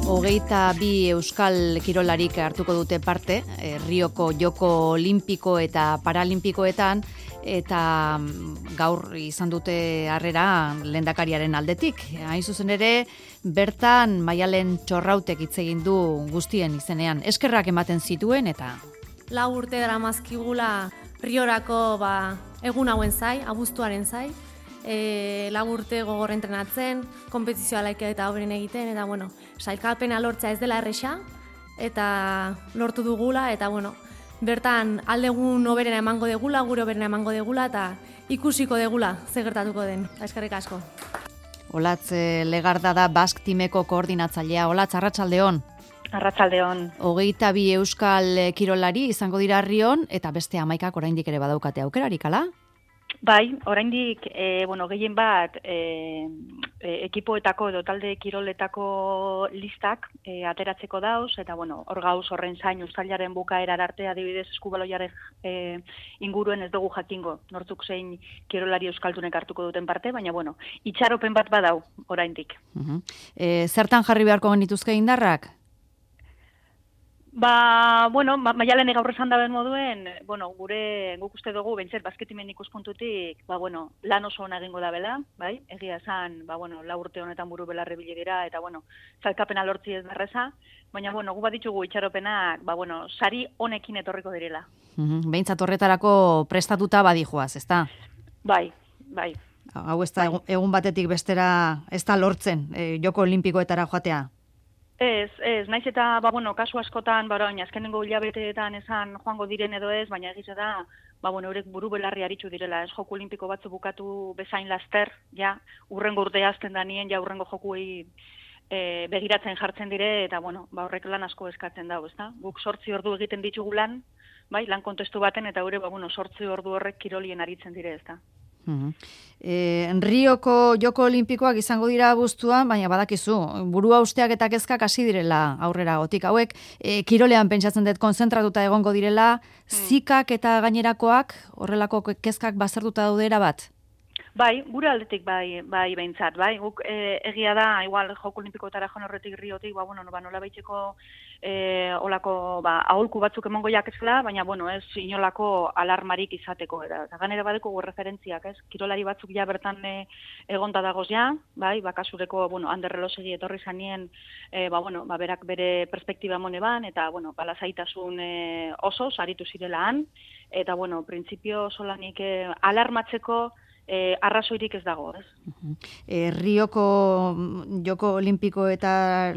22 euskal kirolarik hartuko dute parte, Rioko Joko Olimpiko eta Paralimpikoetan, eta gaur izan dute harrera lehendakariaren aldetik. Hain zuzen ere, bertan Maialen Txorrautek hitz egin du guztien izenean. Eskerrak ematen zituen eta 4 urte daramazkigula Riorako egun hauen zai, abuztuaren zai. 4 urte gogor entrenatzen, konpetizioa laika eta hoberen egiten, eta sailkapena lortzea ez dela erresa, eta lortu dugula, eta bertan aldegun hoberena emango degula, gure hoberena emango degula, eta ikusiko degula ze gertatuko den. Eskerrik asko. Olatz Legarda da Bask Timeko koordinatzailea. Olatz, arratsaldeon. Arratsaldeon. 22 euskal kirolari izango dira Rion, eta beste 11 oraindik ere badaukate aukerarik, ala? Bai, oraindik gehien bat ekipoetako edo talde kiroletako listak ateratzeko dauz, eta hor gauz horren zain uztailaren bukaerar arte, adibidez eskubaloiaren inguruen ez dugu jakingo, nortzuk zein kirolari euskaldunek hartuko duten parte, baina itxaropen bat badau oraindik. Zertan jarri beharko genituzke indarrak? Maialen gaur esan daben moduen, guk uste dugu, bentzet, basketimen ikuspuntutik, lan oso ona egingo da bela, bai? Egia esan, 4 urte honetan buru belarre bilidera, eta, zalkapena lortzi ez darreza, baina, gu bat ditugu itxaropenak, sari honekin etorriko direla. Behintzat horretarako prestatuta badijoaz, ezta? Bai. Hau ez da, egun batetik bestera, ez da lortzen, Joko Olimpikoetara joatea? Ez, naiz eta, kasu askotan, azkenengo hilabeteetan esan joango diren edo ez, baina egiz da, eurek buru belarri aritzu direla, ez Joko Olimpiko batzu bukatu bezain laster, urrengo urtea azten da nien, urrengo jokuei begiratzen jartzen dire, eta, horrek lan asko eskatzen dago, ezta? Guk 8 ordu egiten ditugu lan kontestu baten, eta gure, 8 ordu horrek kirolien aritzen dire, ezta? Rioko Joko Olimpikoak izango dira abuztuan, baina badakizu, burua usteak eta kezkak hasi direla aurrera gotik. Hauek, kirolean pentsatzen dut konzentratuta egongo direla, zikak eta gainerakoak, horrelako kezkak bazertuta daudera bat? Bai, gure aldetik bai behintzat, bai. Guk egia da, igual Joko Olimpikoetara joan horretik Riotik, nola baitzeko olako aholku batzuk emongo jakezela, baina ez inolako alarmarik izateko. Eta ganera badeko referentziak, ez? Kirolari batzuk ja bertan egonda dagoz ja, bai, bakasureko, Ander Relosegi etorri zanien, berak bere perspektiba mone ban, eta, lasaitasun oso, saritu zirelaan, eta, printzipio solanik alarmatzeko arrazoirik ez dago, ez? Rioko Joko Olimpiko eta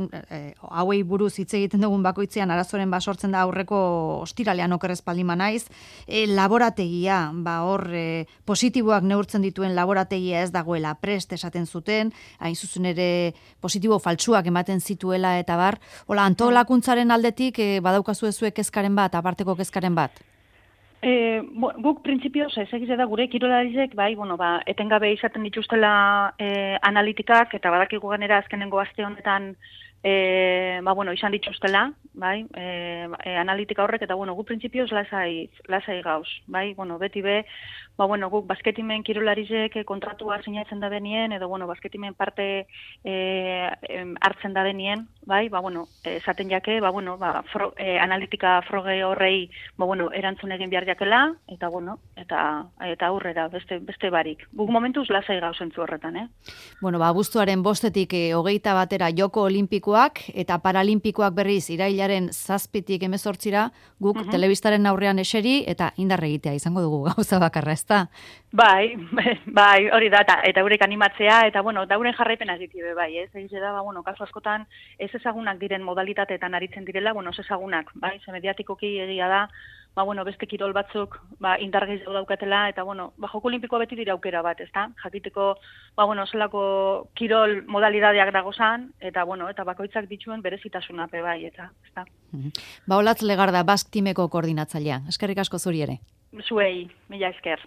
hauei buruz hitz egiten dugun bakoitzean arazoren sortzen da aurreko ostiralean okerrezpaldima naiz. Laborategia, hor positiboak neurtzen dituen laborategia ez dagoela prest esaten zuten, hain zuzen ere positibo faltsuak ematen zituela eta bar. Antolakuntzaren aldetik badaukazu ezuek kezkaren bat, aparteko kezkaren bat? Guk printzipioz ez egize da gure kirolarizek, etengabe izaten dituztela analitikak, eta badakigu ganera azkenengo aste honetan izan dituztela, analitika horrek, eta guk printzipioz lasai gauz, beti be, guk basketimen kirolarizek kontratua sinatzen da benien, edo basketimen parte hartzen da benien, esaten jake, analitika froge horrei erantzun egin behar jakela, eta aurrera, beste barik. Guk momentuz lasai gauz entzu horretan, abuztuaren 5-tik 21 batera Joko Olimpikoak eta Paralimpikoak berriz irailaren 7-tik 18-ra guk telebistaren aurrean eseri eta indar egitea izango dugu gauza bakarra, ezta? Bai, hori da, eta eurek animatzea, eta dauren jarraipena egitebe, ez? Egize da, kasu askotan ez ezagunak diren modalitateetan aritzen direla, ez ezagunak, ze mediatikoki egia da, beste kirol batzuk indar gehiago daukatela, eta Joko Olimpikoa beti dira aukera bat, ezta? Jakiteko, zelako kirol modalidadeak dagozan, eta bakoitzak dituen berezitasuna bai, eta, ezta? Olatz Legarda, Bask Timeko koordinatzailea. Eskerrik asko zuri ere. Zuei, mila esker.